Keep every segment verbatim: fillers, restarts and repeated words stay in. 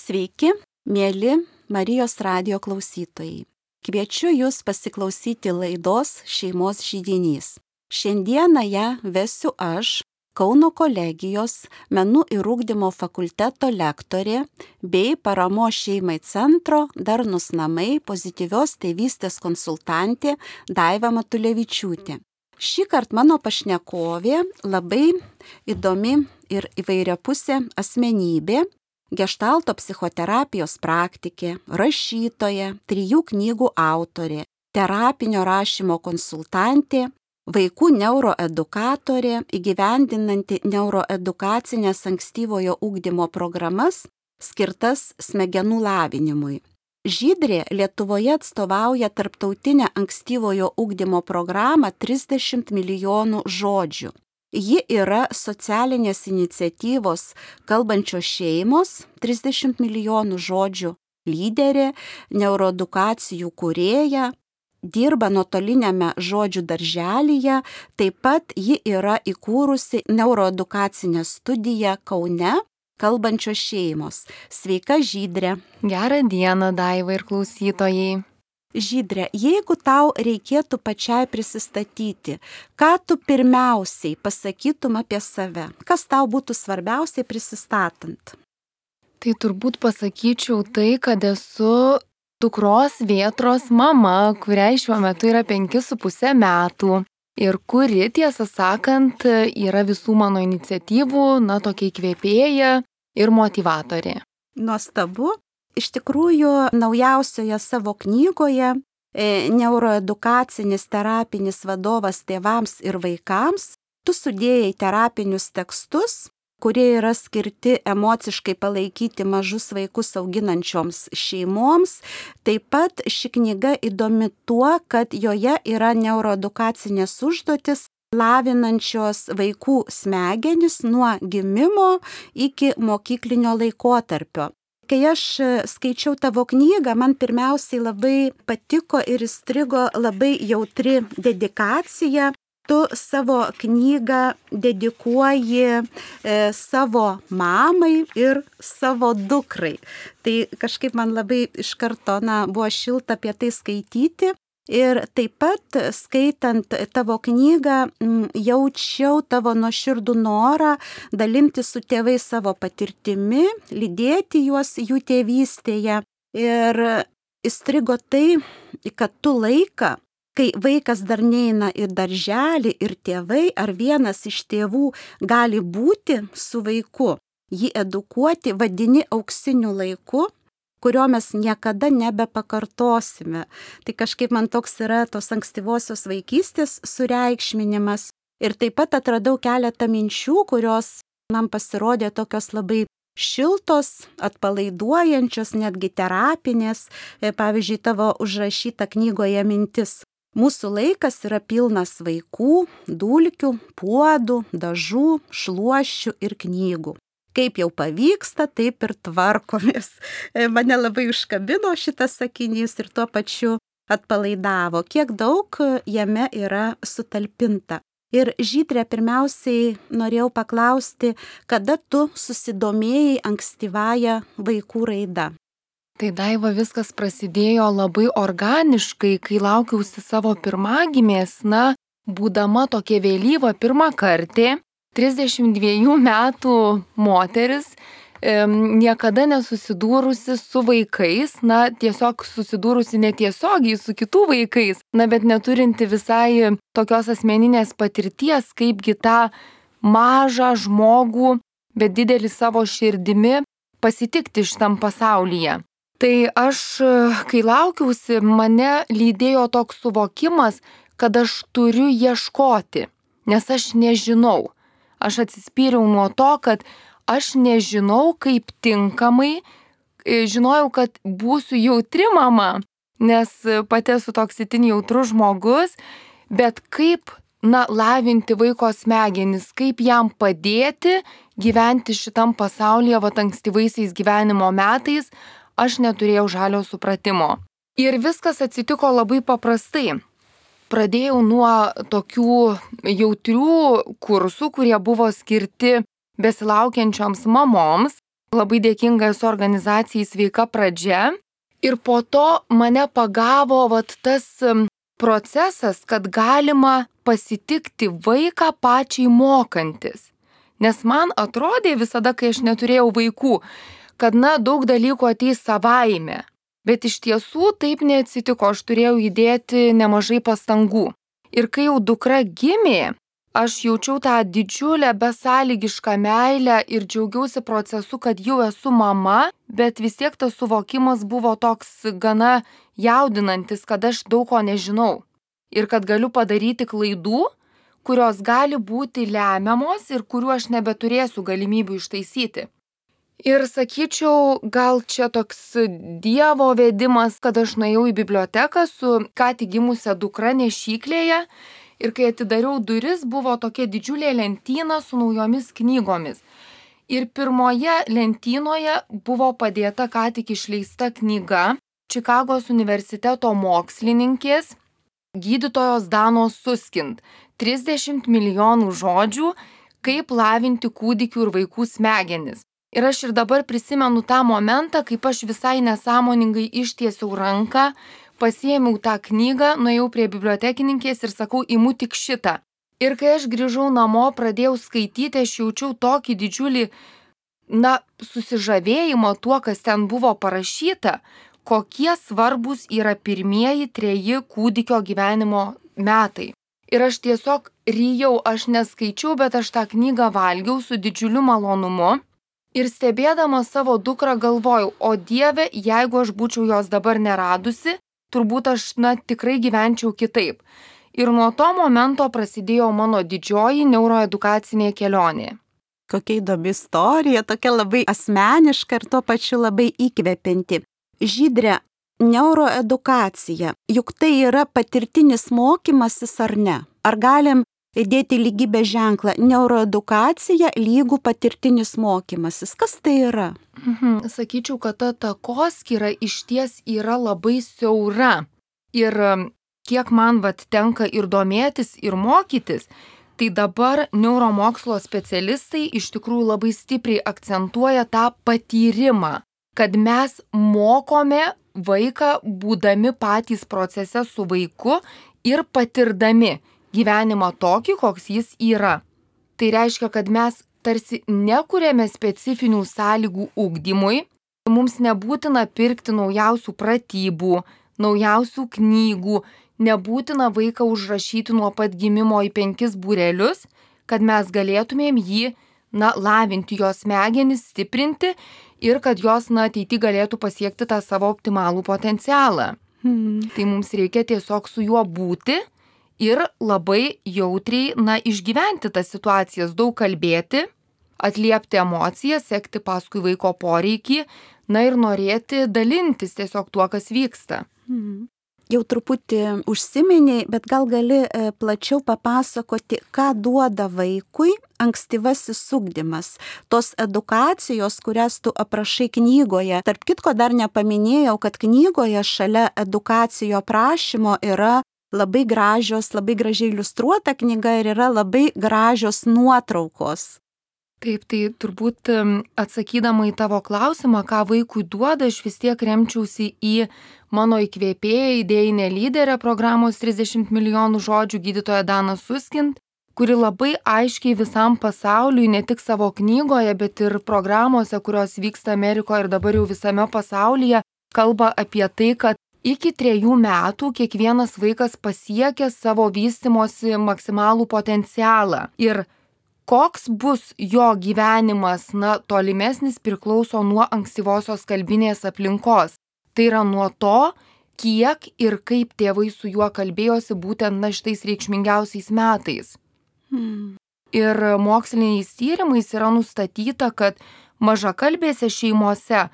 Sveiki, mėly Marijos radijo klausytojai. Kviečiu Jūs pasiklausyti laidos Šeimos židinys. Šiandieną ją vesiu aš, Kauno kolegijos Menų ir ugdymo fakulteto lektorė bei Paramos šeimai centro Darnūs namai pozityvios tėvystės konsultantė Daiva Matulevičiūtė. Šįkart mano pašnekovė labai įdomi ir įvairiapusė asmenybė, geštalto psichoterapijos praktikė, rašytoja, trijų knygų autorė, terapinio rašymo konsultantė, vaikų neuroedukatorė, įgyvendinanti neuroedukacinės ankstyvojo ugdymo programas skirtas smegenų lavinimui. Žydrė Lietuvoje atstovauja tarptautinę ankstyvojo ugdymo programą trisdešimt milijonų žodžių. Ji yra socialinės iniciatyvos Kalbančios šeimos trisdešimt milijonų žodžių lyderė, neuroedukacijų kūrėja, dirba nuotoliniame žodžių darželyje, taip pat ji yra įkūrusi neuroedukacinę studiją Kaune Kalbančios šeimos. Sveika, Žydrė. Gerą dieną, Daiva ir klausytojai. Žydrė, jeigu tau reikėtų pačiai prisistatyti, ką tu pirmiausiai pasakytum apie save? Kas tau būtų svarbiausiai prisistatant? Tai turbūt pasakyčiau tai, kad esu dukros Vėtros mama, kuriai šiuo metu yra penki su puse metų ir kuri, tiesą sakant, yra visų mano iniciatyvų, na, tokia įkvėpėja ir motyvatorė. Nuostabu. Iš tikrųjų, naujausioje savo knygoje e, Neuroedukacinis terapinis vadovas tėvams ir vaikams tu sudėjai terapinius tekstus, kurie yra skirti emociškai palaikyti mažus vaikus auginančioms šeimoms. Taip pat ši knyga įdomi tuo, kad joje yra neuroedukacinės užduotis lavinančios vaikų smegenis nuo gimimo iki mokyklinio laikotarpio. Kai aš skaičiau tavo knygą, man pirmiausiai labai patiko ir įstrigo labai jautri dedikacija. Tu savo knygą dedikuoji e, savo mamai ir savo dukrai. Tai kažkaip man labai iš karto na, buvo šilta apie tai skaityti. Ir taip pat skaitant tavo knygą jaučiau tavo nuoširdų norą dalinti su tėvais savo patirtimi, lydėti juos jų tėvystėje. Ir įstrigo tai, kad tu laiką, kai vaikas dar neina į darželį ir tėvai ar vienas iš tėvų gali būti su vaiku, jį edukuoti vadini auksiniu laiku, kurio mes niekada nebepakartosime. Tai kažkaip man toks yra tos ankstyvosios vaikystės sureikšminimas. Ir taip pat atradau keletą minčių, kurios man pasirodė tokios labai šiltos, atpalaiduojančios, netgi terapinės. Pavyzdžiui, tavo užrašyta knygoje mintis. Mūsų laikas yra pilnas vaikų, dulkių, puodų, dažų, šluoščių ir knygų. Kaip jau pavyksta, taip ir tvarkomės. Mane labai užkabino šitas sakinys ir tuo pačiu atpalaidavo. Kiek daug jame yra sutalpinta. Ir Žydrė, pirmiausiai norėjau paklausti, kada tu susidomėjai ankstyvąją vaikų raida? Tai Daiva, viskas prasidėjo labai organiškai, kai laukiausi savo pirmagimės, na, būdama tokia vėlyva pirmą kartą. trisdešimt dviejų metų moteris, e, niekada nesusidūrusi su vaikais, na, tiesiog susidūrusi netiesiogiai su kitų vaikais, na, bet neturinti visai tokios asmeninės patirties, kaipgi tą mažą žmogų, bet didelį savo širdimi pasitikti šitam pasaulyje. Tai aš, kai laukiausi, mane lydėjo toks suvokimas, kad aš turiu ieškoti, nes aš nežinau. Aš atsispyriau nuo to, kad aš nežinau, kaip tinkamai, žinojau, kad būsiu jautri mama, nes pati esu toks itin jautrus žmogus, bet kaip, na, lavinti vaiko smegenis, kaip jam padėti gyventi šitam pasaulyje, va, ankstyvaisiais gyvenimo metais, aš neturėjau žalio supratimo. Ir viskas atsitiko labai paprastai. Pradėjau nuo tokių jautrių kursų, kurie buvo skirti besilaukiančioms mamoms. labai dėkinga esu organizacijai Sveika pradžia. Ir po to mane pagavo vat tas procesas, kad galima pasitikti vaiką pačiai mokantis. Nes man atrodė visada, kai aš neturėjau vaikų, kad na, daug dalykų ateis savaime. Bet iš tiesų taip neatsitiko, aš turėjau įdėti nemažai pastangų. Ir kai jau dukra gimė, aš jaučiau tą didžiulę besąlygišką meilę ir džiaugiausi procesu, kad jau esu mama, bet vis tiek tas suvokimas buvo toks gana jaudinantis, kad aš daug ko nežinau. Ir kad galiu padaryti klaidų, kurios gali būti lemiamos ir kurių aš nebeturėsiu galimybių ištaisyti. Ir sakyčiau, gal čia toks Dievo vedimas, kad aš nuėjau į biblioteką su ką tik gimusia dukra nešyklėje ir kai atidariau duris, buvo tokia didžiulė lentyna su naujomis knygomis. Ir pirmoje lentynoje buvo padėta ką tik išleista knyga Čikagos universiteto mokslininkės gydytojos Danos Suskind trisdešimt milijonų žodžių, kaip lavinti kūdikių ir vaikų smegenis. Ir aš ir dabar prisimenu tą momentą, kaip aš visai nesąmoningai ištiesiau ranką, pasiėmiau tą knygą, nuėjau prie bibliotekininkės ir sakau, imu tik šitą. Ir kai aš grįžau namo, pradėjau skaityti, aš jaučiau tokį didžiulį, na, susižavėjimą tuo, kas ten buvo parašyta, kokie svarbus yra pirmieji treji kūdikio gyvenimo metai. Ir aš tiesiog ryjau, aš neskaičiau, bet aš tą knygą valgiau su didžiuliu malonumu. Ir stebėdama savo dukrą galvojau, o Dieve, jeigu aš būčiau jos dabar neradusi, turbūt aš, na, tikrai gyvenčiau kitaip. Ir nuo to momento prasidėjo mano didžioji neuroedukacinė kelionė. Kokia įdomi istorija, tokia labai asmeniška ir tuo pačiu labai įkvepianti. Žydre, neuroedukacija, juk tai yra patirtinis mokymasis ar ne? Ar galim įdėti lygybės ženklą neuroedukacija lygų patirtinis mokymasis? Kas tai yra? Mhm. Sakyčiau, kad ta takoskyra išties yra labai siaura. Ir kiek man vat tenka ir domėtis, ir mokytis, tai dabar neuromokslo specialistai iš tikrųjų labai stipriai akcentuoja tą patyrimą, kad mes mokome vaiką būdami patys procese su vaiku ir patirdami gyvenimą tokį, koks jis yra. Tai reiškia, kad mes tarsi nekuriame specifinių sąlygų ugdymui, mums nebūtina pirkti naujausių pratybų, naujausių knygų, nebūtina vaiką užrašyti nuo pat gimimo į penkis būrelius, kad mes galėtumėm jį, na, lavinti jos smegenis, stiprinti ir kad jos, na, ateity galėtų pasiekti tą savo optimalų potencialą. Hmm. Tai mums reikia tiesiog su juo būti ir labai jautriai, na, išgyventi tas situacijas, daug kalbėti, atliepti emocijas, sekti paskui vaiko poreikį, na ir norėti dalintis tiesiog tuo, kas vyksta. Mhm. Jau truputį užsiminiai, bet gal gali plačiau papasakoti, ką duoda vaikui ankstyvasis ugdymas. Tos edukacijos, kurias tu aprašai knygoje. Tarp kitko dar nepaminėjau, kad knygoje šalia edukacijo prašymo yra labai gražios, labai gražiai iliustruota knyga ir yra labai gražios nuotraukos. Taip, tai turbūt atsakydama į tavo klausimą, ką vaikui duoda, aš vis tiek remčiausi į mano įkvėpėją, idėjinę lyderę programos trisdešimt milijonų žodžių gydytoją Daną Suskind, kuri labai aiškiai visam pasauliui, ne tik savo knygoje, bet ir programuose, kurios vyksta Amerikoje ir dabar jau visame pasaulyje, kalba apie tai, kad iki trejų metų kiekvienas vaikas pasiekia savo vystymosi maksimalų potencialą. Ir koks bus jo gyvenimas, na, tolimesnis priklauso nuo ankstyvosios kalbinės aplinkos. Tai yra nuo to, kiek ir kaip tėvai su juo kalbėjosi būtent na šitais reikšmingiausiais metais. Hmm. Ir moksliniais tyrimais yra nustatyta, kad mažakalbėse šeimose,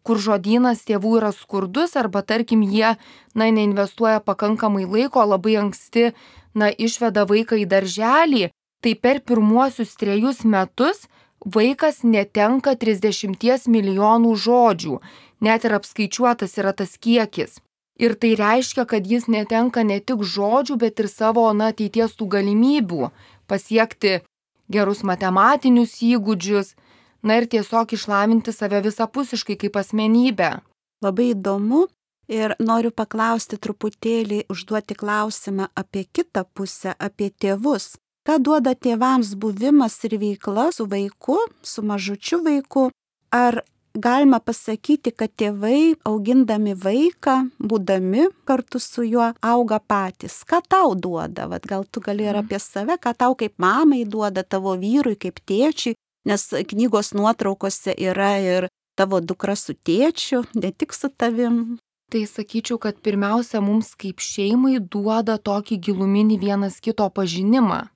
kur žodynas tėvų yra skurdus arba tarkim jie, na, neinvestuoja pakankamai laiko, labai anksti, na, išveda vaiką į darželį, tai per pirmuosius trejus metus vaikas netenka trisdešimties milijonų žodžių, net ir apskaičiuotas yra tas kiekis. Ir tai reiškia, kad jis netenka ne tik žodžių, bet ir savo, na, ateities tų galimybių pasiekti gerus matematinius įgūdžius, na ir tiesiog išlavinti save visapusiškai kaip asmenybę. Labai įdomu ir noriu paklausti truputėlį, užduoti klausimą apie kitą pusę, apie tėvus. Ką duoda tėvams buvimas ir veikla su vaiku, su mažučiu vaiku? Ar galima pasakyti, kad tėvai, augindami vaiką, būdami kartu su juo, auga patys? Ką tau duoda? Vat gal tu gali ir apie save, ką tau kaip mamai duoda, tavo vyrui, kaip tėčiui, nes knygos nuotraukose yra ir tavo dukra su tėčiu, ne tik su tavim. Tai sakyčiau, kad pirmiausia mums kaip šeimai duoda tokį giluminį vienas kito pažinimą.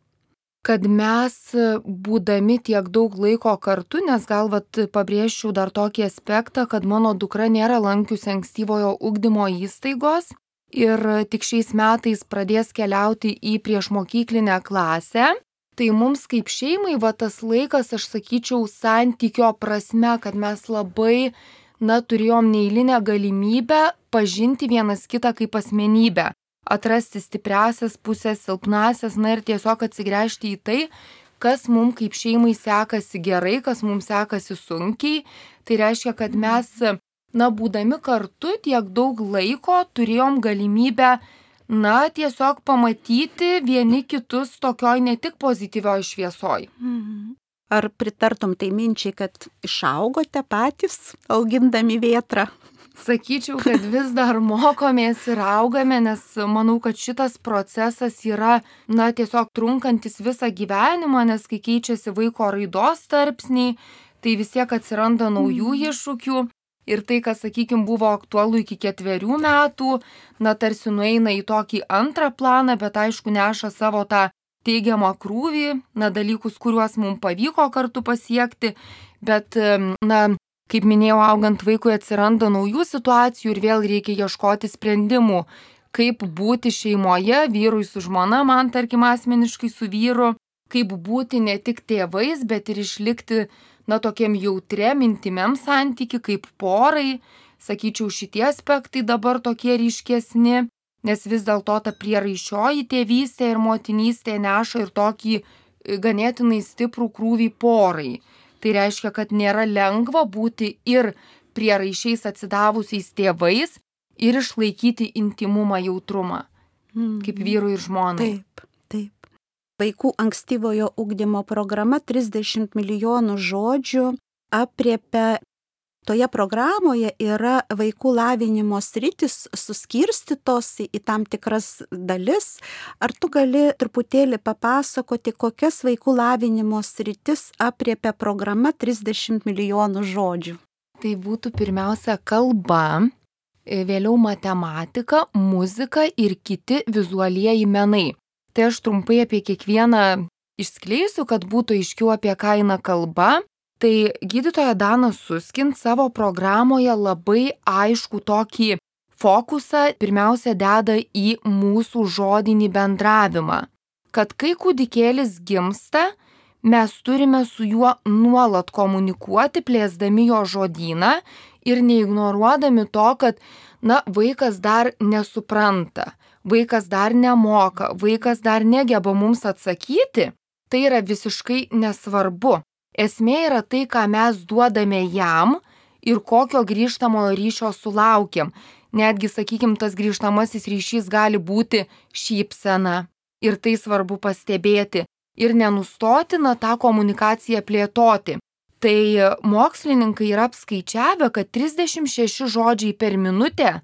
Kad mes būdami tiek daug laiko kartu, nes gal vat pabrėžčiau dar tokį aspektą, kad mano dukra nėra lankiusi ankstyvojo ugdymo įstaigos ir tik šiais metais pradės keliauti į priešmokyklinę klasę. Tai mums kaip šeimai va tas laikas, aš sakyčiau, santykio prasme, kad mes labai, na, turėjom neeilinę galimybę pažinti vienas kitą kaip asmenybę. Atrasti stipriasias pusės, silpnasias, na ir tiesiog atsigręžti į tai, kas mums kaip šeimai sekasi gerai, kas mums sekasi sunkiai. Tai reiškia, kad mes, na, būdami kartu tiek daug laiko turėjom galimybę, na, tiesiog pamatyti vieni kitus tokioj ne tik pozityvioj šviesoj. Ar pritartum tai minčiai, kad išaugote patys, augindami vėtrą? Sakyčiau, kad vis dar mokomės ir augame, nes manau, kad šitas procesas yra, na, tiesiog trunkantis visą gyvenimą, nes kai keičiasi vaiko raidos tarpsniai, tai vis tiek atsiranda naujų iššūkių ir tai, kas, sakykime, buvo aktualu iki ketverių metų, na, tarsi nueina į tokį antrą planą, bet aišku, neša savo tą teigiamą krūvį, na, dalykus, kuriuos mums pavyko kartu pasiekti, bet, na, kaip minėjau, augant vaikui atsiranda naujų situacijų ir vėl reikia ieškoti sprendimų, kaip būti šeimoje, vyrui su žmona, man tarkim asmeniškai su vyru, kaip būti ne tik tėvais, bet ir išlikti, na, tokiam jautriam, intimiam santyki, kaip porai. Sakyčiau, šitie aspektai dabar tokie ryškesni, nes vis dėlto ta prieraišioji tėvystė ir motinystė neša ir tokį ganėtinai stiprų krūvį porai. Tai reiškia, kad nėra lengva būti ir prieraišiais atsidavusiais tėvais ir išlaikyti intimumą, jautrumą, kaip vyrui ir žmonai. Taip, taip. Vaikų ankstyvojo ugdymo programa trisdešimt milijonų žodžių apriepia. Toje programoje yra vaikų lavinimo sritis suskirstytos į tam tikras dalis. Ar tu gali truputėlį papasakoti, kokias vaikų lavinimo sritis apriepia programa trisdešimt milijonų žodžių? Tai būtų pirmiausia kalba, vėliau matematika, muzika ir kiti vizualieji menai. Tai aš trumpai apie kiekvieną išskleisiu, kad būtų aiškiau, apie ką eina kalba. Tai gydytoja Dana Suskind savo programoje labai aišku tokį fokusą pirmiausia deda į mūsų žodinį bendravimą. Kad kai kūdikėlis gimsta, mes turime su juo nuolat komunikuoti, plėsdami jo žodyną ir neignoruodami to, kad, na, vaikas dar nesupranta, vaikas dar nemoka, vaikas dar negeba mums atsakyti. Tai yra visiškai nesvarbu. Esmė yra tai, ką mes duodame jam ir kokio grįžtamojo ryšio sulaukiam. Netgi, sakykime, tas grįžtamasis ryšys gali būti šypsena. Ir tai svarbu pastebėti. Ir nenustoti, na, tą komunikaciją plėtoti. Tai mokslininkai yra apskaičiavę, kad trisdešimt šeši žodžiai per minutę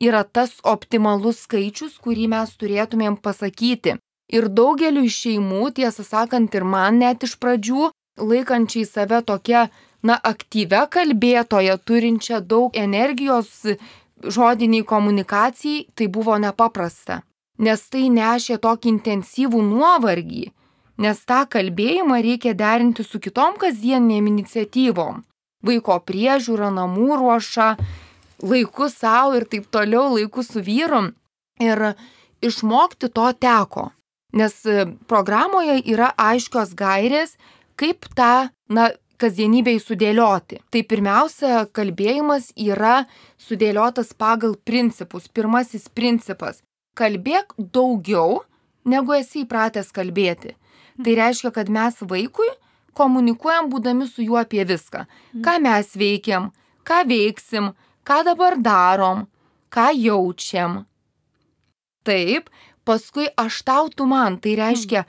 yra tas optimalus skaičius, kurį mes turėtumėm pasakyti. Ir daugeliu šeimų, tiesą sakant, ir man net iš pradžių, laikančiai save tokia, na, aktyvia kalbėtoja, turinčia daug energijos žodiniai komunikacijai, tai buvo nepaprasta. Nes tai nešė tokį intensyvų nuovargį, nes tą kalbėjimą reikia derinti su kitom kasdienėm iniciatyvom. Vaiko priežiūra, namų ruoša, laiku savo ir taip toliau, laiku su vyru. Ir išmokti to teko, nes programoje yra aiškios gairės, kaip tą, na, kasdienybėj sudėlioti. Tai pirmiausia, kalbėjimas yra sudėliotas pagal principus. Pirmasis principas – kalbėk daugiau, negu esi įpratęs kalbėti. Tai reiškia, kad mes vaikui komunikuojam būdami su juo apie viską. Ką mes veikiam, ką veiksim, ką dabar darom, ką jaučiam. Taip, paskui aš tau, tu man. Tai reiškia,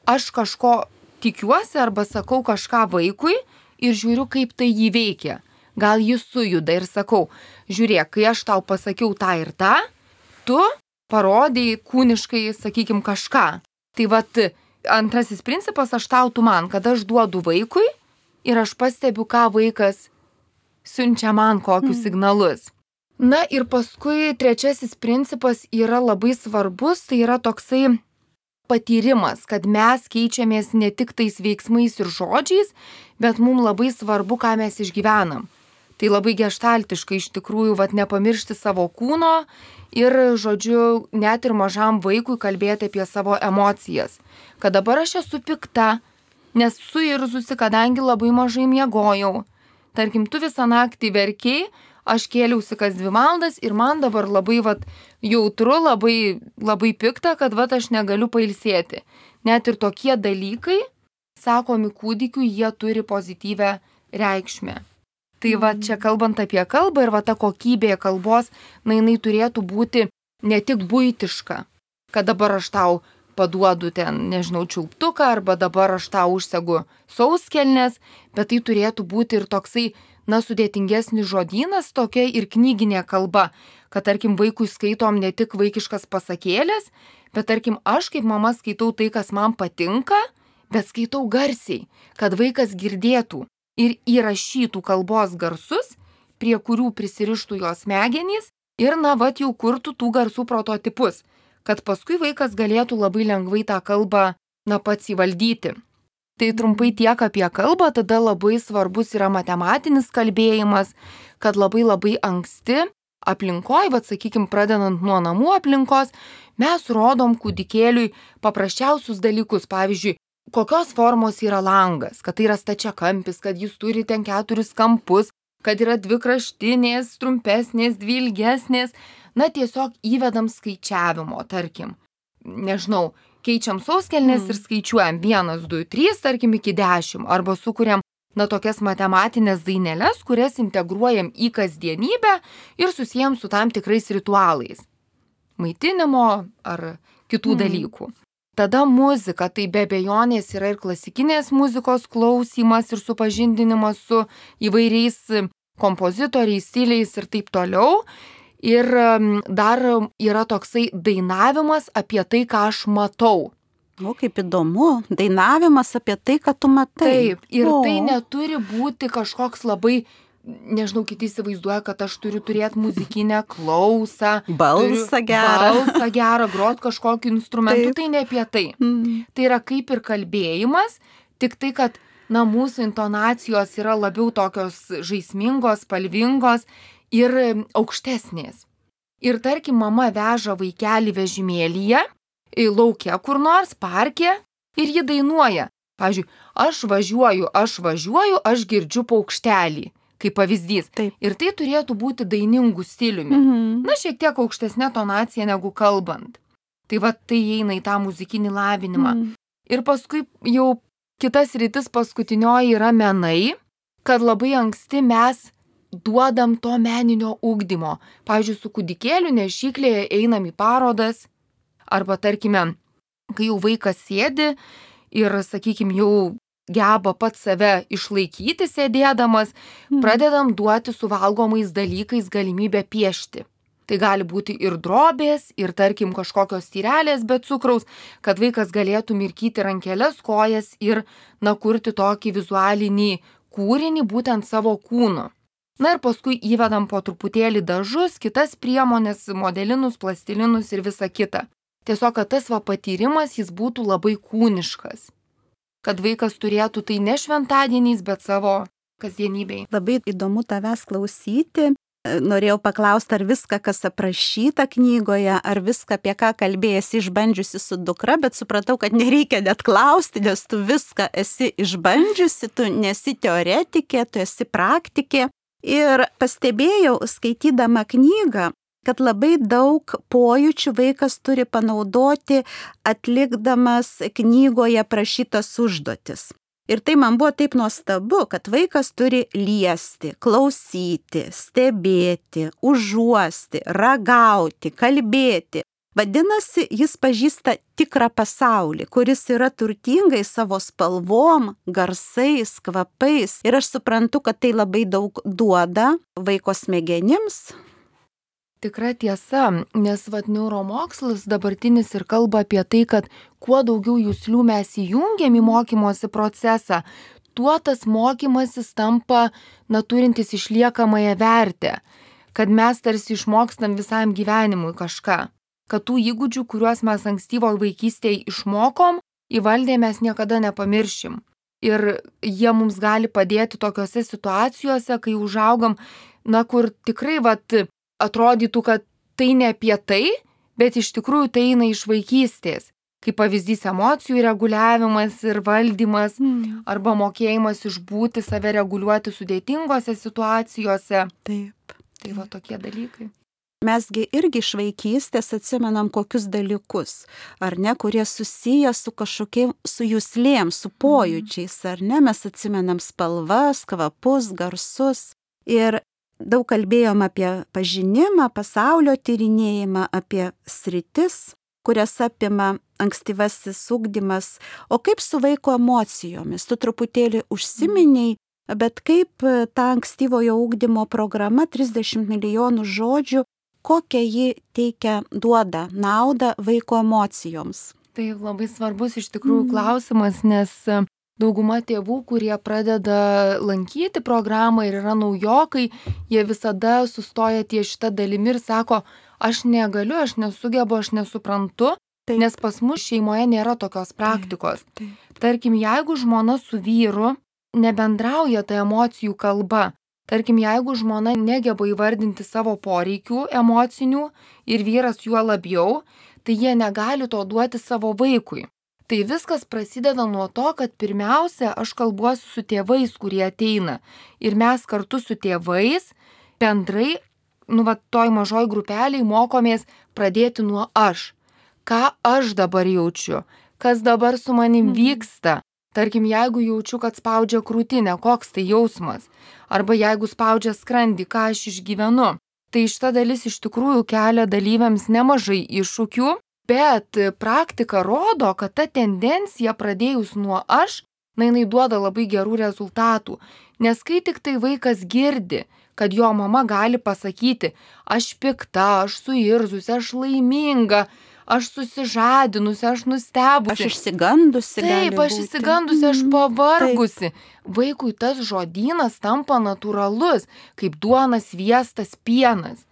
aš kažko tikiuosi arba sakau kažką vaikui ir žiūriu, kaip tai jį veikia. Gal jis sujuda ir sakau, žiūrėk, kai aš tau pasakiau tą ir tą, tu parodai kūniškai, sakykim, kažką. Tai vat antrasis principas, aš tau, tu man, kad aš duodu vaikui ir aš pastebiu, ką vaikas siunčia man, kokius signalus. Na ir paskui trečiasis principas yra labai svarbus, tai yra toksai patyrimas, kad mes keičiamės ne tik tais veiksmais ir žodžiais, bet mums labai svarbu, ką mes išgyvenam. Tai labai geštaltiškai iš tikrųjų, vat, nepamiršti savo kūno ir, žodžiu, net ir mažam vaikui kalbėti apie savo emocijas. Kad dabar aš esu pikta, nes suirzusi, kadangi labai mažai miegojau. Tarkim, tu visą naktį verkiai, aš kėliausi kas dvi valandas ir man dabar labai vat, jautru, labai, labai pikta, kad vat, aš negaliu pailsėti. Net ir tokie dalykai, sakomi kūdikiui, jie turi pozityvę reikšmę. Tai va čia kalbant apie kalbą ir va ta kokybė kalbos, na jinai turėtų būti ne tik buitiška, kad dabar aš tau paduodu ten, nežinau, čiulptuką arba dabar aš tau užsegu sauskelnes, bet tai turėtų būti ir toksai, na, sudėtingesnis žodynas, tokia ir knyginė kalba, kad tarkim vaikui skaitom ne tik vaikiškas pasakėlės, bet tarkim aš kaip mama skaitau tai, kas man patinka, bet skaitau garsiai, kad vaikas girdėtų ir įrašytų kalbos garsus, prie kurių prisirištų jos smegenys ir, na, vat jau kurtų tų garsų prototipus, kad paskui vaikas galėtų labai lengvai tą kalbą, na, pats įvaldyti. Tai trumpai tiek apie kalbą, tada labai svarbus yra matematinis kalbėjimas, kad labai labai anksti aplinkoj, vat sakykim, pradedant nuo namų aplinkos, mes rodom kūdikėliui paprasčiausius dalykus, pavyzdžiui, kokios formos yra langas, kad tai yra stačiakampis, kad jis turi ten keturis kampus, kad yra dvi kraštinės, trumpesnės, dvi ilgesnės. Na, tiesiog įvedam skaičiavimo, tarkim. Nežinau, keičiam sauskelnes mm. ir skaičiuojam vienas, du, trys, tarkim, iki dešimt. Arba sukuriam, na, tokias matematinės daineles, kurias integruojam į kasdienybę ir susijam su tam tikrais ritualais. Maitinimo ar kitų mm. dalykų. Tada muzika, tai be abejonės yra ir klasikinės muzikos klausymas ir supažindinimas su įvairiais kompozitoriais, stiliais ir taip toliau. Ir dar yra toksai dainavimas apie tai, ką aš matau. O, kaip įdomu, dainavimas apie tai, ką tu matai. Taip, ir o. tai neturi būti kažkoks labai, nežinau, kiti įsivaizduoja, kad aš turiu turėti muzikinę klausą. Balsą gerą. Balsą gerą, grot kažkokiu instrumentu, Taip. tai ne apie tai. Mm. Tai yra kaip ir kalbėjimas, tik tai, kad, na, mūsų intonacijos yra labiau tokios žaismingos, spalvingos ir aukštesnės. Ir tarkim, mama veža vaikelį vežimėlyje, lauke kur nors, parke, ir ji dainuoja. Pavyzdžiui, aš važiuoju, aš važiuoju, aš girdžiu paukštelį, kaip pavyzdys. Taip. Ir tai turėtų būti dainingų stiliumi. Mhm. Na, šiek tiek aukštesnė tonacija negu kalbant. Tai va, tai įeina į tą muzikinį lavinimą. Mhm. Ir paskui jau kitas rytis paskutinioji yra menai, kad labai anksti mes duodam to meninio ugdymo. Pavyzdžiui, su kūdikėliu nešyklėje einam į parodas, arba tarkime, kai jau vaikas sėdi ir, sakykime, jau geba pats save išlaikyti sėdėdamas, mm. pradedam duoti su valgomais dalykais galimybę piešti. Tai gali būti ir drobės, ir tarkim kažkokios tyrelės be cukraus, kad vaikas galėtų mirkyti rankeles, kojas ir, na, kurti tokį vizualinį kūrinį būtent savo kūnu. Na ir paskui įvedam po truputėlį dažus, kitas priemonės, modelinus, plastilinus ir visa kita. Tiesiog, kad tas va patyrimas jis būtų labai kūniškas. Kad vaikas turėtų tai ne šventadieniais, bet savo kasdienybėj. Labai įdomu tavęs klausyti. Norėjau paklausti, ar viską, kas aprašyta knygoje, ar viską, apie ką kalbėjasi išbandžiusi su dukra, bet supratau, kad nereikia net klausti, nes tu viską esi išbandžiusi, tu nesi teoretikė, tu esi praktikė. Ir pastebėjau, skaitydama knygą, kad labai daug pojūčių vaikas turi panaudoti atlikdamas knygoje prašytas užduotis. Ir tai man buvo taip nuostabu, kad vaikas turi liesti, klausyti, stebėti, užuosti, ragauti, kalbėti. Vadinasi, jis pažįsta tikrą pasaulį, kuris yra turtingai savo spalvom, garsais, kvapais. Ir aš suprantu, kad tai labai daug duoda vaiko smegenims. Tikra tiesa, nes vat neuromokslas dabartinis ir kalba apie tai, kad kuo daugiau juslių mes įjungiam į mokymosi procesą, tuo tas mokymasis tampa na turintis išliekamąją vertę, kad mes tarsi išmokstam visam gyvenimui kažką, kad tų įgūdžių, kuriuos mes ankstyvo vaikystėje išmokom, įvaldę mes niekada nepamiršim. Ir jie mums gali padėti tokiose situacijose, kai užaugam, na kur tikrai vat atrodytų, kad tai ne apie tai, bet iš tikrųjų tai eina iš vaikystės. Kaip pavyzdys emocijų reguliavimas ir valdymas, mm. arba mokėjimas išbūti, save reguliuoti sudėtingose situacijose. Taip. Tai va tokie dalykai. Mesgi irgi iš vaikystės atsimenam kokius dalykus, ar ne, kurie susiję su kažkokiais, su juslėm, su pojūčiais, ar ne, mes atsimenam spalvas, kvapus, garsus. Ir daug kalbėjom apie pažinimą, pasaulio tyrinėjimą, apie sritis, kurias apima ankstyvasis ugdymas. O kaip su vaiko emocijomis? Tu truputėlį užsiminiai, bet kaip ta ankstyvojo ugdymo programa trisdešimt milijonų žodžių, kokią ji teikia, duoda naudą vaiko emocijoms? Tai labai svarbus iš tikrųjų mm. klausimas, nes dauguma tėvų, kurie pradeda lankyti programą ir yra naujokai, jie visada sustoja ties šitą dalimi ir sako, aš negaliu, aš nesugebu, aš nesuprantu, taip. Nes pas mus šeimoje nėra tokios praktikos. Taip, taip. Tarkim, jeigu žmona su vyru nebendrauja tą emocijų kalba, tarkim, jeigu žmona negeba įvardinti savo poreikių emocinių ir vyras juo labiau, tai jie negali to duoti savo vaikui. Tai viskas prasideda nuo to, kad pirmiausia, aš kalbuosiu su tėvais, kurie ateina. Ir mes kartu su tėvais bendrai, nu va, toj mažoj grupeliai mokomės pradėti nuo aš. Ką aš dabar jaučiu? Kas dabar su manim vyksta? Tarkim, jeigu jaučiu, kad spaudžia krūtinę, koks tai jausmas? Arba jeigu spaudžia skrandį, ką aš išgyvenu? Tai šita dalis iš tikrųjų kelia dalyviams nemažai iššūkių. Bet praktika rodo, kad ta tendencija pradėjus nuo aš, na, jinai duoda labai gerų rezultatų. Nes kai tik tai vaikas girdi, kad jo mama gali pasakyti, aš pikta, aš suirzusi, aš laiminga, aš susižadinusi, aš nustebusi. Aš išsigandusi. Taip, aš išsigandusi, aš pavargusi. Taip. Vaikui tas žodynas tampa natūralus, kaip duonas, sviestas, pienas.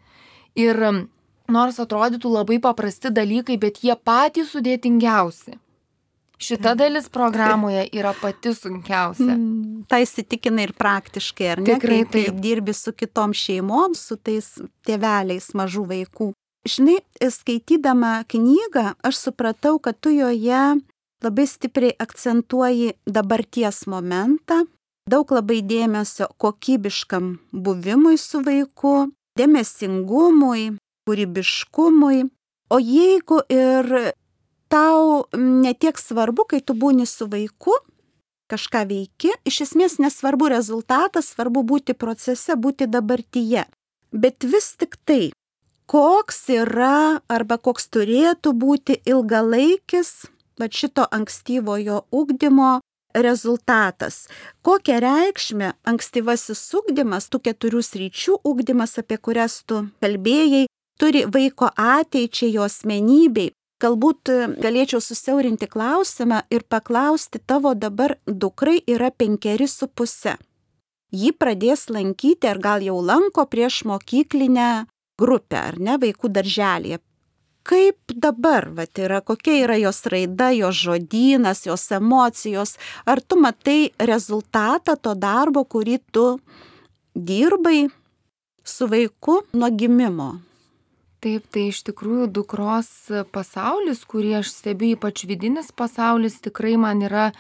Ir nors atrodytų labai paprasti dalykai, bet jie patys sudėtingiausi. Šita dalis programoje yra pati sunkiausia. Mm, tai įsitikina ir praktiškai, ar ne? Tikrai kai, kai dirbi su kitom šeimom, su tais tėveliais mažų vaikų. Žinai, skaitydama knygą, aš supratau, kad tu joje labai stipriai akcentuoji dabarties momentą, daug labai dėmesio kokybiškam buvimui su vaiku, dėmesingumui, kūrybiškumui. O jeigu ir tau netiek svarbu, kai tu būni su vaiku, kažką veiki, iš esmės nesvarbu rezultatas, svarbu būti procese, būti dabartyje. Bet vis tik tai, koks yra arba koks turėtų būti ilgalaikis va šito ankstyvojo ugdymo rezultatas. Kokią reikšmę ankstyvasis ugdymas, tų keturių sričių ugdymas, apie kurias tu kalbėjai, turi vaiko ateičiai, jo asmenybei. Galbūt galėčiau susiaurinti klausimą ir paklausti, tavo dabar dukrai yra penkeri su puse. Ji pradės lankyti, ar gal jau lanko prieš mokyklinę grupę, ar ne, vaikų darželėje. Kaip dabar, vat, yra, kokia yra jos raida, jos žodynas, jos emocijos? Ar tu matai rezultatą to darbo, kurį tu dirbai su vaiku nuo gimimo? Taip, tai iš tikrųjų dukros pasaulis, kurį aš stebiu, ypač vidinis pasaulis, tikrai man yra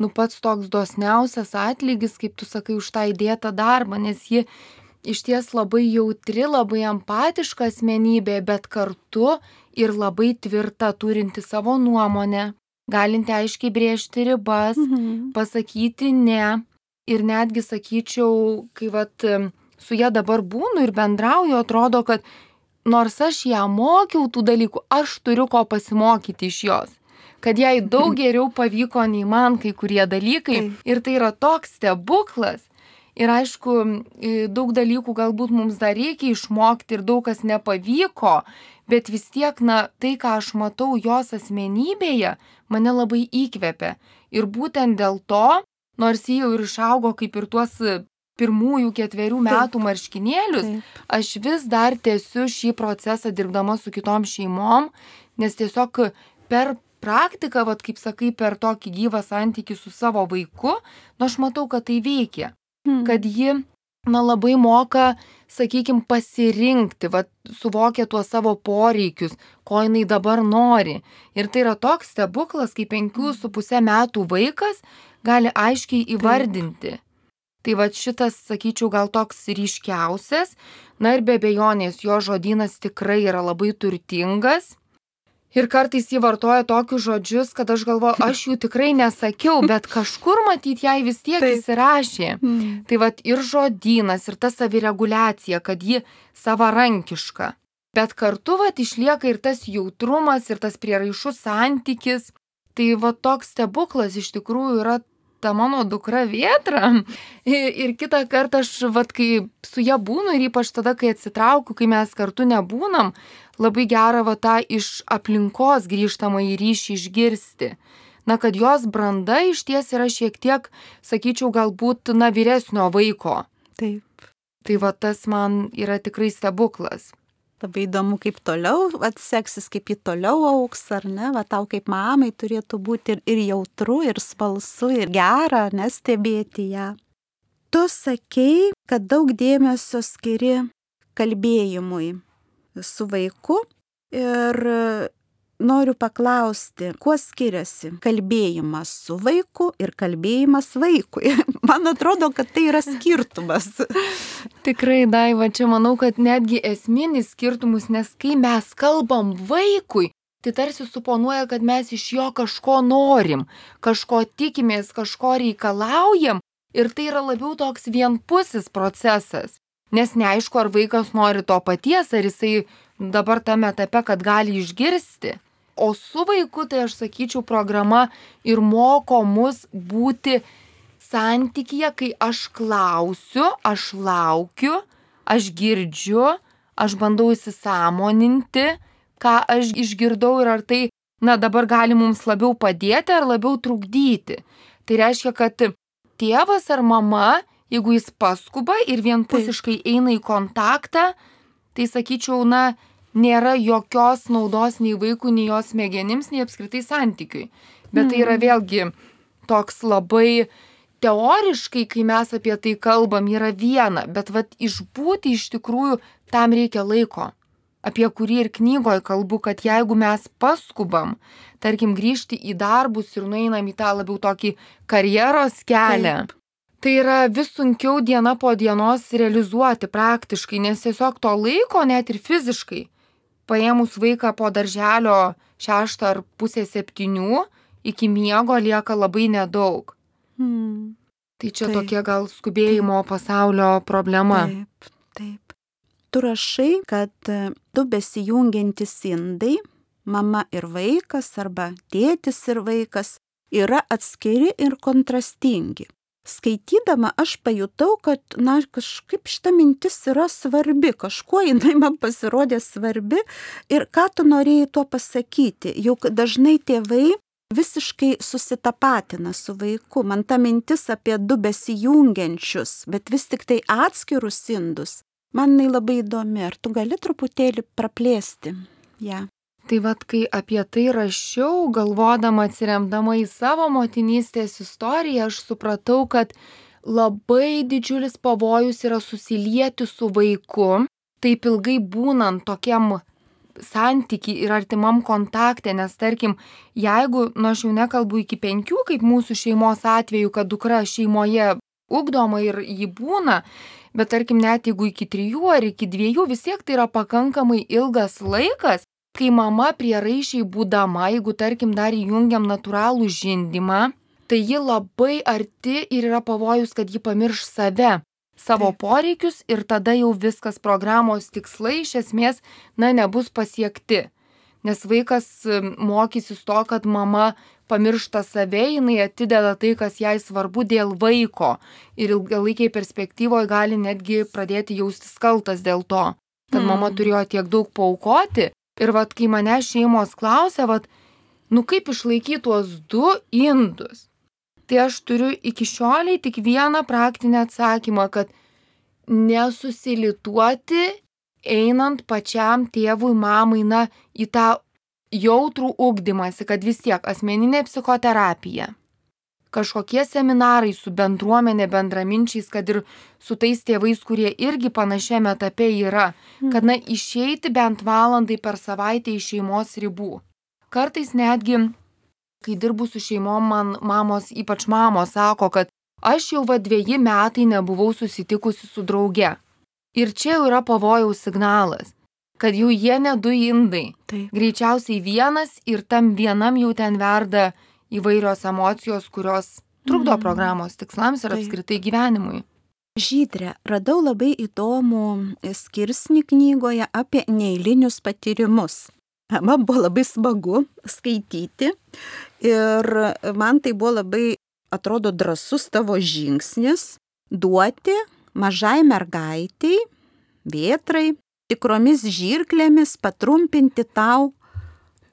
nu pats toks dosniausias atlygis, kaip tu sakai, už tą įdėtą darbą, nes ji iš ties labai jautri, labai empatiška asmenybė, bet kartu ir labai tvirta, turinti savo nuomonę, galinti aiškiai brėžti ribas, Mhm. pasakyti ne. Ir netgi sakyčiau, kai vat, su ja dabar būnu ir bendrauju, atrodo, kad nors aš ją mokiau tų dalykų, aš turiu ko pasimokyti iš jos. Kad jai daug geriau pavyko nei man kai kurie dalykai. Taip. Ir tai yra toks stebuklas. Ir aišku, daug dalykų galbūt mums dar reikia išmokti ir daug kas nepavyko, bet vis tiek, na, tai, ką aš matau jos asmenybėje, mane labai įkvepia. Ir būtent dėl to, nors jį jau ir išaugo kaip ir tuos pirmųjų ketverių metų marškinėlius, Taip. aš vis dar tęsiu šį procesą dirbdama su kitom šeimom, nes tiesiog per praktiką, vat, kaip sakai, per tokį gyvą santykį su savo vaiku, nu aš matau, kad tai veikia. Mhm. Kad ji, na, labai moka, sakykime, pasirinkti, vat, suvokia tuos savo poreikius, ko jinai dabar nori. Ir tai yra toks stebuklas, kai penkių su pusė metų vaikas gali aiškiai įvardinti. Tai va šitas, sakyčiau, gal toks ryškiausias. Na ir be abejonės, jo žodynas tikrai yra labai turtingas. Ir kartais jį vartoja tokius žodžius, kad aš galvoju, aš jų tikrai nesakiau, bet kažkur matyt jai vis tiek Taip. įsirašė. Mhm. Tai va ir žodynas, ir ta savireguliacija, kad ji savarankiška. Bet kartu va išlieka ir tas jautrumas, ir tas prieraišus santykis. Tai va toks stebuklas iš tikrųjų yra ta mano dukra Vėtra. Ir kitą kartą aš, vat, kai su ja būnu ir ypač tada, kai atsitraukiu, kai mes kartu nebūnam, labai gera va tą iš aplinkos grįžtamą į ryšį išgirsti. Na, kad jos branda iš ties yra šiek tiek, sakyčiau, galbūt, na, vyresnio vaiko. Taip. Tai va tas man yra tikrai stebuklas. Labai įdomu, kaip toliau atseksis, kaip ji toliau auks, ar ne, va tau kaip mamai turėtų būti ir, ir jautru, ir smalsu, ir gera, nestebėti ją. Tu sakei, kad daug dėmesio skiri kalbėjimui su vaiku ir noriu paklausti, kuo skiriasi kalbėjimas su vaiku ir kalbėjimas vaikui. Man atrodo, kad tai yra skirtumas. Tikrai, Daiva, čia manau, kad netgi esminis skirtumus, nes kai mes kalbam vaikui, tai tarsi suponuoja, kad mes iš jo kažko norim, kažko tikimės, kažko reikalaujam ir tai yra labiau toks vienpusis procesas. Nes neaišku, ar vaikas nori to paties, ar jisai dabar tame etape, kad gali išgirsti. O su vaiku, tai aš sakyčiau, programa ir moko mus būti santykyje, kai aš klausiu, aš laukiu, aš girdžiu, aš bandau įsisąmoninti, ką aš išgirdau ir ar tai, na, dabar gali mums labiau padėti ar labiau trukdyti. Tai reiškia, kad tėvas ar mama, jeigu jis paskuba ir vienpusiškai eina į kontaktą, tai sakyčiau, na, nėra jokios naudos nei vaikų, nei jos smegenims, nei apskritai santykiui. Bet tai yra vėlgi toks labai teoriškai, kai mes apie tai kalbam, yra viena, bet vat išbūti iš tikrųjų tam reikia laiko. Apie kurį ir knygoje kalbu, kad jeigu mes paskubam, tarkim, grįžti į darbus ir nueinam į tą labiau tokį karjeros kelią, Taip. tai yra vis sunkiau diena po dienos realizuoti praktiškai, nes tiesiog to laiko net ir fiziškai, paėmus vaiką po darželio šeštą ar pusę septynių, iki miego lieka labai nedaug. Hmm. Tai čia Taip. tokia gal skubėjimo pasaulio problema. Taip, taip. Tu rašai, kad du besijungiantys indai, mama ir vaikas arba tėtis ir vaikas, yra atskiri ir kontrastingi. Skaitydama aš pajutau, kad, na, kažkaip šita mintis yra svarbi, kažkuo jinai man pasirodė svarbi ir ką tu norėjai tuo pasakyti, juk dažnai tėvai visiškai susitapatina su vaiku. Man ta mintis apie du besijungiančius, bet vis tik tai atskirus indus, man jinai labai įdomi. Ar tu gali truputėlį praplėsti ją? Ja. Tai vat, kai apie tai rašiau, galvodama atsiremdama į savo motinystės istoriją, aš supratau, kad labai didžiulis pavojus yra susilieti su vaiku, taip ilgai būnant tokiam santykiai ir artimam kontakte, nes tarkim, jeigu, nu aš jau nekalbu iki penkių, kaip mūsų šeimos atveju, kad dukra šeimoje ugdoma ir jį būna, bet tarkim, net jeigu iki trijų ar iki dviejų, vis tiek tai yra pakankamai ilgas laikas, kai mama prieraišiai būdama, jeigu tarkim dar įjungiam natūralų žindymą, tai ji labai arti ir yra pavojus, kad ji pamirš save, savo Taip. Poreikius ir tada jau viskas programos tikslai iš esmės, na, nebus pasiekti. Nes vaikas mokysis to, kad mama pamiršta save, jinai atideda tai, kas jai svarbu dėl vaiko ir ilgalaikiai perspektyvoje gali netgi pradėti jaustis kaltas dėl to, kad mm. mama turėjo tiek daug paaukoti. Ir vat, kai mane šeimos klausia, vat, nu kaip išlaikyti tuos du indus, tai aš turiu iki šioliai tik vieną praktinę atsakymą, kad nesusilituoti einant pačiam tėvui, mamai, na, į tą jautrų ugdymąsi, kad vis tiek asmeninė psichoterapija, kažkokie seminarai su bendruomenė, bendraminčiais, kad ir su tais tėvais, kurie irgi panašiame etape yra, kad, na, išeiti bent valandai per savaitę iš šeimos ribų. Kartais netgi, kai dirbu su šeimom, man mamos, ypač mamos, sako, kad aš jau va dveji metai nebuvau susitikusi su drauge. Ir čia jau yra pavojaus signalas, kad jau jie ne du indai. Taip. Greičiausiai vienas ir tam vienam jau ten verda įvairios emocijos, kurios trukdo mm. programos tikslams ir Taip. Apskritai gyvenimui. Žydre, radau labai įdomų skirsnį knygoje apie neeilinius patyrimus. Man buvo labai smagu skaityti ir man tai buvo labai, atrodo, drąsus tavo žingsnis duoti mažai mergaitiai, vėtrai, tikromis žirklėmis patrumpinti tau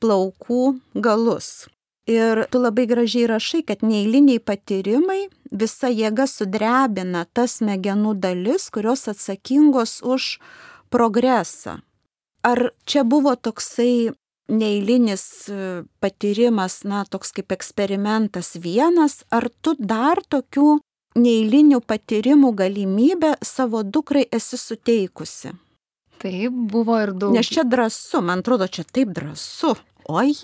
plaukų galus. Ir tu labai gražiai rašai, kad neeiliniai patyrimai visa jėga sudrebina tas smegenų dalis, kurios atsakingos už progresą. Ar čia buvo toksai neeilinis patyrimas, na, toks kaip eksperimentas vienas, ar tu dar tokių neeilinių patyrimų galimybę savo dukrai esi suteikusi? Taip, buvo ir daug. Nes čia drąsu, man atrodo, čia taip drąsu. Oi,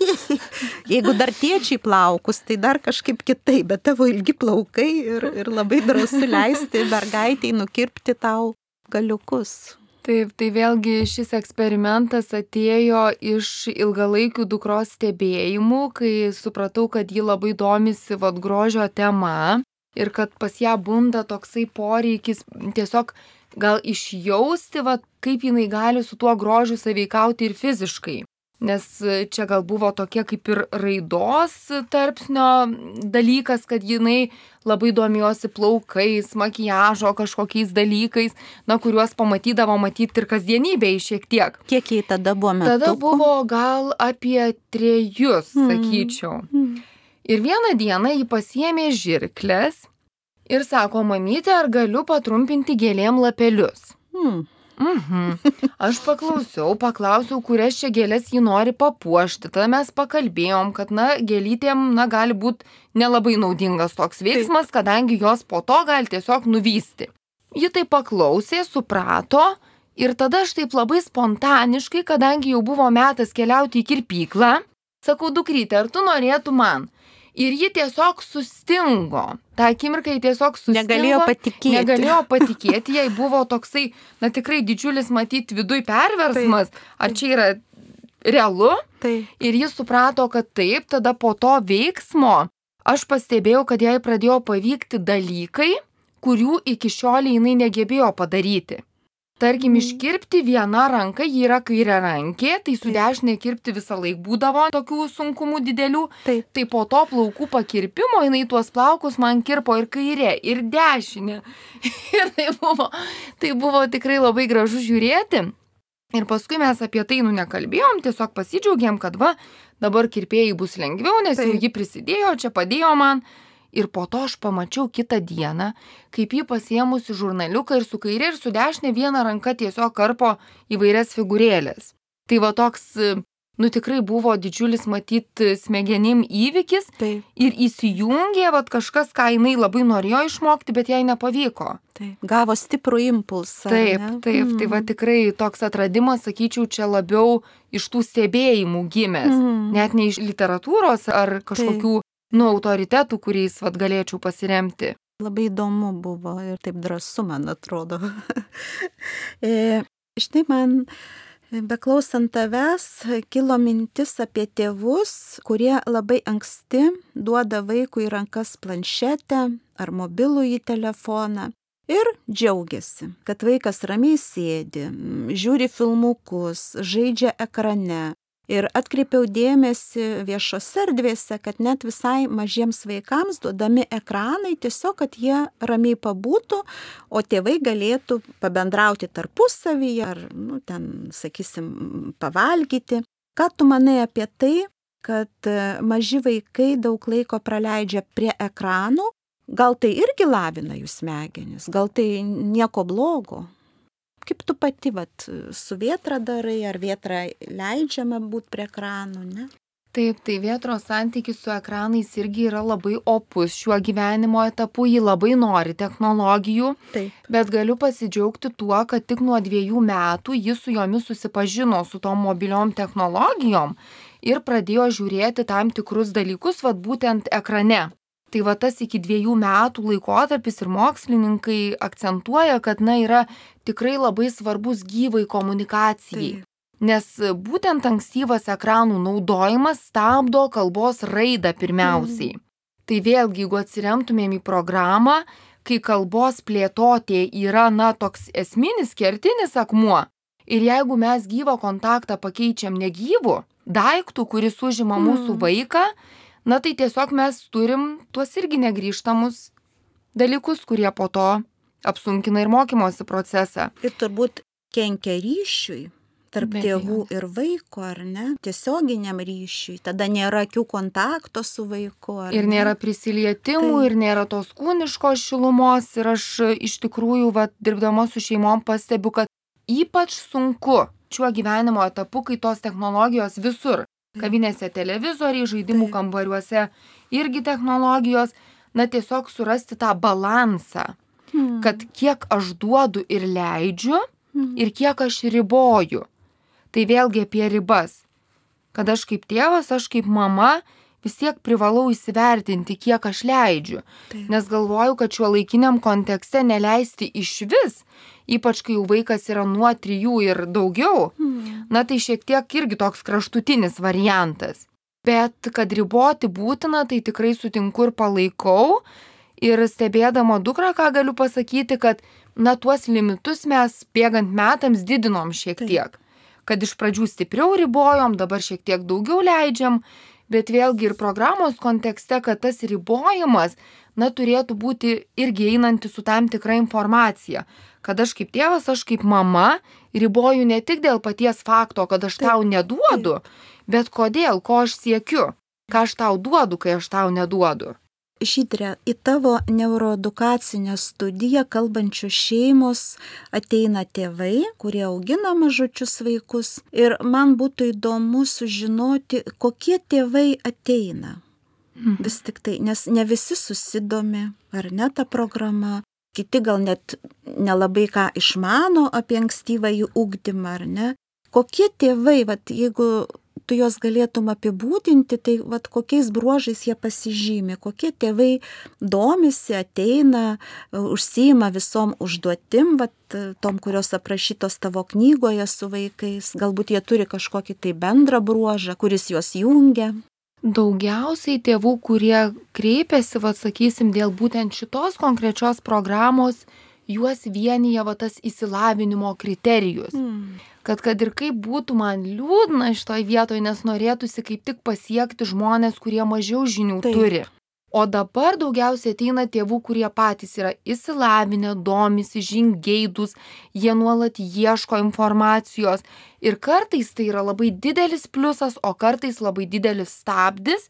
jeigu dar tėčiai plaukus, tai dar kažkaip kitaip, bet tavo ilgi plaukai ir, ir labai drąsu leisti mergaitei nukirpti tau galiukus. Taip, tai vėlgi šis eksperimentas atėjo iš ilgalaikių dukros stebėjimų, kai supratau, kad ji labai domisi vat grožio tema ir kad pas ją bunda toksai poreikis tiesiog gal išjausti, vat, kaip jinai gali su tuo grožiu sąveikauti ir fiziškai. Nes čia gal buvo tokie kaip ir raidos tarpsnio dalykas, kad jinai labai domėjosi plaukais, makiažo kažkokiais dalykais, na, kuriuos pamatydavo matyti ir kasdienybėje šiek tiek. Kiek jai tada buvo metukų? Tada buvo gal apie trejus, mm. sakyčiau. Mm. Ir vieną dieną ji pasiėmė žirkles ir sako, mamyte, ar galiu patrumpinti gėlėm lapelius? Mm. Mhm. Aš paklausiau, paklausiau, kurias čia gėlės ji nori papuošti. Tada mes pakalbėjom, kad, na, gėlytėm, na, gali būti nelabai naudingas toks veiksmas, kadangi jos po to gali tiesiog nuvysti. Ji tai paklausė, suprato ir tada aš taip labai spontaniškai, kadangi jau buvo metas keliauti į kirpyklą, sakau, dukryte, ar tu norėtum man? Ir ji tiesiog sustingo. Ta akimirka ji tiesiog sustingo. Negalėjo patikėti. Negalėjo patikėti, jai buvo toksai, na tikrai didžiulis matyti viduj perversmas. Taip, taip. Ar čia yra realu? Taip. Ir ji suprato, kad taip, tada po to veiksmo aš pastebėjau, kad jai pradėjo pavykti dalykai, kurių iki šiol jinai negebėjo padaryti. Tarkim, iškirpti viena ranka, ji yra kairė rankė, tai su dešinė kirpti visą laik būdavo tokių sunkumų didelių. Taip. Tai po to plaukų pakirpimo jinai tuos plaukus man kirpo ir kairė, ir dešinė. Ir tai buvo, tai buvo tikrai labai gražu žiūrėti. Ir paskui mes apie tai nu nekalbėjom, tiesiog pasidžiaugėm, kad va, dabar kirpėjai bus lengviau, nes Taip. Jau ji prisidėjo, čia padėjo man. Ir po to aš pamačiau kitą dieną, kaip ji pasiėmusi žurnaliuką ir su kairė ir su dešinė viena ranka tiesiog karpo įvairias figūrėlės. Tai va toks, nu tikrai buvo didžiulis matyti smegenim įvykis. Taip. Ir įsijungė va kažkas, ką jinai labai norėjo išmokti, bet jai nepavyko. Taip. Gavo stiprų impulsą. Taip, ne? taip, mm. tai va tikrai toks atradimas, sakyčiau, čia labiau iš tų stebėjimų gimęs, mm. net ne iš literatūros ar kažkokių taip. Nu, autoritetų, kuriais vat, galėčiau pasiremti. Labai įdomu buvo ir taip drąsu, man atrodo. e, štai man Beklausant tavęs, kilo mintis apie tėvus, kurie labai anksti duoda vaikui į rankas planšetę ar mobilųjį telefoną ir džiaugiasi, kad vaikas ramiai sėdi, žiūri filmukus, žaidžia ekrane. Ir atkreipiau dėmesį viešose erdvėse, kad net visai mažiems vaikams duodami ekranai tiesiog, kad jie ramiai pabūtų, o tėvai galėtų pabendrauti tarpusavyje ar, nu, ten, sakysim, pavalgyti. Ką tu manai apie tai, kad maži vaikai daug laiko praleidžia prie ekranų? Gal tai irgi lavina jų smegenis? Gal tai nieko blogo? Kaip tu pati, vat, su vėtra darai, ar vėtra leidžiama būti prie ekranų, ne? Taip, tai vėtros santykis su ekranais irgi yra labai opus šiuo gyvenimo etapu, ji labai nori technologijų, Taip. Bet galiu pasidžiaugti tuo, kad tik nuo dviejų metų jis su jomis susipažino su tom mobiliom technologijom ir pradėjo žiūrėti tam tikrus dalykus, vat būtent ekrane. Tai va tas iki dviejų metų laikotarpis ir mokslininkai akcentuoja, kad na yra tikrai labai svarbus gyvai komunikacijai. Taip. Nes būtent ankstyvas ekranų naudojimas stabdo kalbos raidą pirmiausiai. Mm. Tai vėlgi, jeigu atsiremtumėm į programą, kai kalbos plėtotė yra na toks esminis kertinis akmuo, ir jeigu mes gyvą kontaktą pakeičiam negyvu daiktų, kuris užima mm. mūsų vaiką, na tai tiesiog mes turim tuos irgi negrįžtamus dalykus, kurie po to apsunkina ir mokymosi procesą. Ir turbūt kenkia ryšiui tarp Be tėvų abejonės. ir vaiko, ar ne? Tiesioginiam ryšiui. Tada nėra akių kontakto su vaiku. Ar Ir ne? nėra prisilietimų, Taip. ir nėra tos kūniškos šilumos. Ir aš iš tikrųjų, va, dirbdama su šeimom, pastebiu, kad ypač sunku šiuo gyvenimo etapu, kai tos technologijos visur. Kavinėse televizoriai, žaidimų Taip. kambariuose irgi technologijos, na tiesiog surasti tą balansą, Hmm. kad kiek aš duodu ir leidžiu Hmm. ir kiek aš riboju. Tai vėlgi apie ribas. Kad aš kaip tėvas, aš kaip mama vis tiek privalau įsivertinti, kiek aš leidžiu. Taip. Nes galvoju, kad šiuo laikiniam kontekste neleisti iš vis, ypač kai jau vaikas yra nuo trijų ir daugiau, Hmm. na tai šiek tiek irgi toks kraštutinis variantas. Bet kad riboti būtina, tai tikrai sutinku ir palaikau. Ir stebėdama dukrą, ką galiu pasakyti, kad na tuos limitus mes bėgant metams didinom šiek Taip. tiek. Kad iš pradžių stipriau ribojom, dabar šiek tiek daugiau leidžiam, bet vėlgi ir programos kontekste, kad tas ribojimas, na turėtų būti irgi einanti su tam tikra informacija. Kad aš kaip tėvas, aš kaip mama riboju ne tik dėl paties fakto, kad aš Taip. tau neduodu, bet kodėl, ko aš siekiu, ką aš tau duodu, kai aš tau neduodu. Žydre, į tavo neuroedukacinę studiją kalbančios šeimos ateina tėvai, kurie augina mažučius vaikus. Ir man būtų įdomu sužinoti, kokie tėvai ateina. Mhm. Vis tik tai, nes ne visi susidomi, ar ne ta programa. Kiti gal net nelabai ką išmano apie ankstyvąjį ugdymą, ar ne. Kokie tėvai, vat, jeigu tu juos galėtum apibūdinti, tai vat, kokiais bruožais jie pasižymi, kokie tėvai domisi, ateina, užsiima visom užduotim, vat, tom, kurios aprašytos tavo knygoje su vaikais. Galbūt jie turi kažkokį tai bendrą bruožą, kuris juos jungia. Daugiausiai tėvų, kurie kreipiasi, va, sakysim, dėl būtent šitos konkrečios programos, juos vienyje va, tas įsilavinimo kriterijus. Mm. Kad kad ir kaip būtų man liūdna šitoj vietoje, nes norėtųsi kaip tik pasiekti žmonės, kurie mažiau žinių Taip. turi. O dabar daugiausiai ateina tėvų, kurie patys yra įsilavinę, domisi, žingeidūs, jie nuolat ieško informacijos. Ir kartais tai yra labai didelis pliusas, o kartais labai didelis stabdis,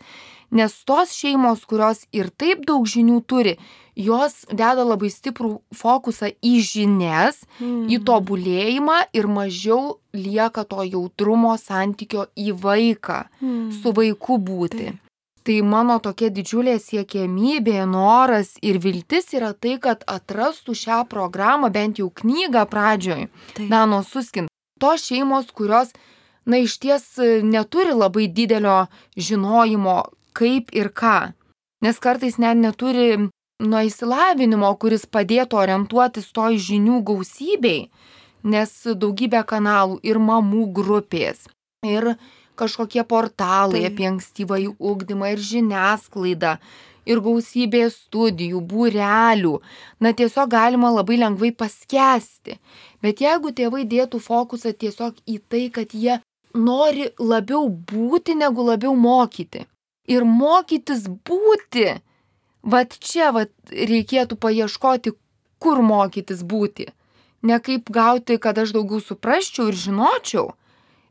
nes tos šeimos, kurios ir taip daug žinių turi, jos deda labai stiprų fokusą į žinias, Mm. į tobulėjimą ir mažiau lieka to jautrumo santykio į vaiką, Mm. su vaiku būti. Taip. Tai mano tokia didžiulė siekiamybė, noras ir viltis yra tai, kad atrastų šią programą, bent jau knygą pradžioj, Taip. Danos Susskind. Tos šeimos, kurios, na, iš ties neturi labai didelio žinojimo, kaip ir ką. Nes kartais net neturi nuo įsilavinimo, kuris padėtų orientuotis toj žinių gausybei. nes daugybė kanalų ir mamų grupės, ir kažkokie portalai Taip. apie ankstyvąjį ugdymą, ir žiniasklaida, ir gausybė studijų, būrelių. Na tiesiog galima labai lengvai paskęsti. Bet jeigu tėvai dėtų fokusą tiesiog į tai, kad jie nori labiau būti, negu labiau mokyti. Ir mokytis būti, vat čia vat reikėtų paieškoti, kur mokytis būti. Ne kaip gauti, kad aš daugiau suprasčiau ir žinočiau,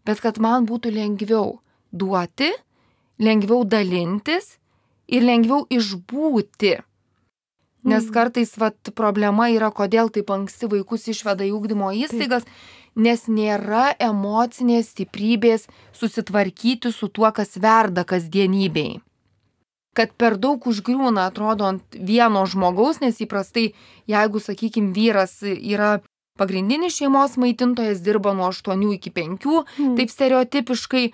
bet kad man būtų lengviau duoti, lengviau dalintis ir lengviau išbūti. Nes kartais vat, problema yra, kodėl taip anksti vaikus išveda į ugdymo įstaigas, nes nėra emocinės stiprybės susitvarkyti su tuo, kas verda kasdienybėj. Kad per daug užgriūna, atrodo, ant vieno žmogaus, nes įprastai, jeigu, sakykime, vyras yra pagrindinis šeimos maitintojas, dirba nuo aštuonių iki penkių, mm. taip stereotipiškai,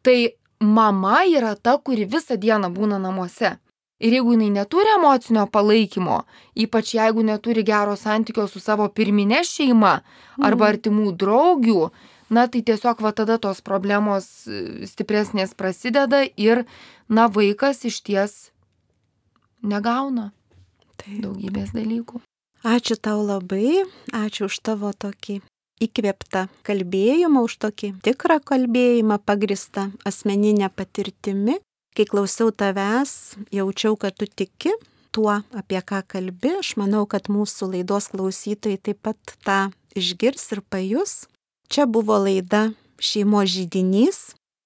tai mama yra ta, kuri visą dieną būna namuose. Ir jeigu jinai neturi emocinio palaikymo, ypač jeigu neturi gero santykio su savo pirminė šeima arba artimų draugių, na tai tiesiog va tada tos problemos stipresnės prasideda ir, na, vaikas išties negauna Taip. daugybės dalykų. Ačiū tau labai, ačiū už tavo tokį įkvėptą kalbėjimą, už tokį tikrą kalbėjimą pagristą asmeninę patirtimi. Kai klausiau tavęs, jaučiau, kad tu tiki tuo, apie ką kalbi. Aš manau, kad mūsų laidos klausytojai taip pat tą išgirs ir pajus. Čia buvo laida Šeimos židinys.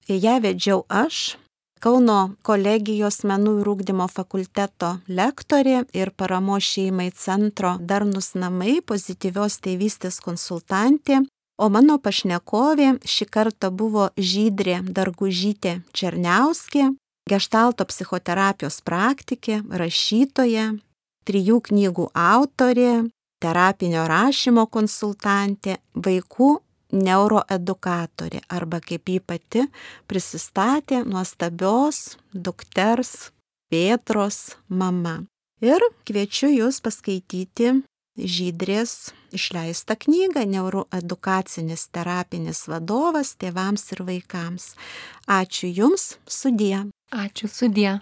Ją vedžiau aš, Kauno kolegijos menų ir ugdymo fakulteto lektorė ir paramos šeimai centro Darnūs namai pozityvios tėvystės konsultantė. O mano pašnekovė šį kartą buvo Žydrė Dargužytė Černiauskė, geštalto psichoterapijos praktikė, rašytoja, trijų knygų autorė, terapinio rašymo konsultantė, vaikų neuroedukatorė arba kaip ji pati prisistatė nuostabios dukters Pėtros mama. Ir kviečiu jūs paskaityti Žydrės išleistą knygą Neuroedukacinis terapinis vadovas tėvams ir vaikams. Ačiū Jums, sudie. Ačiū, sudie.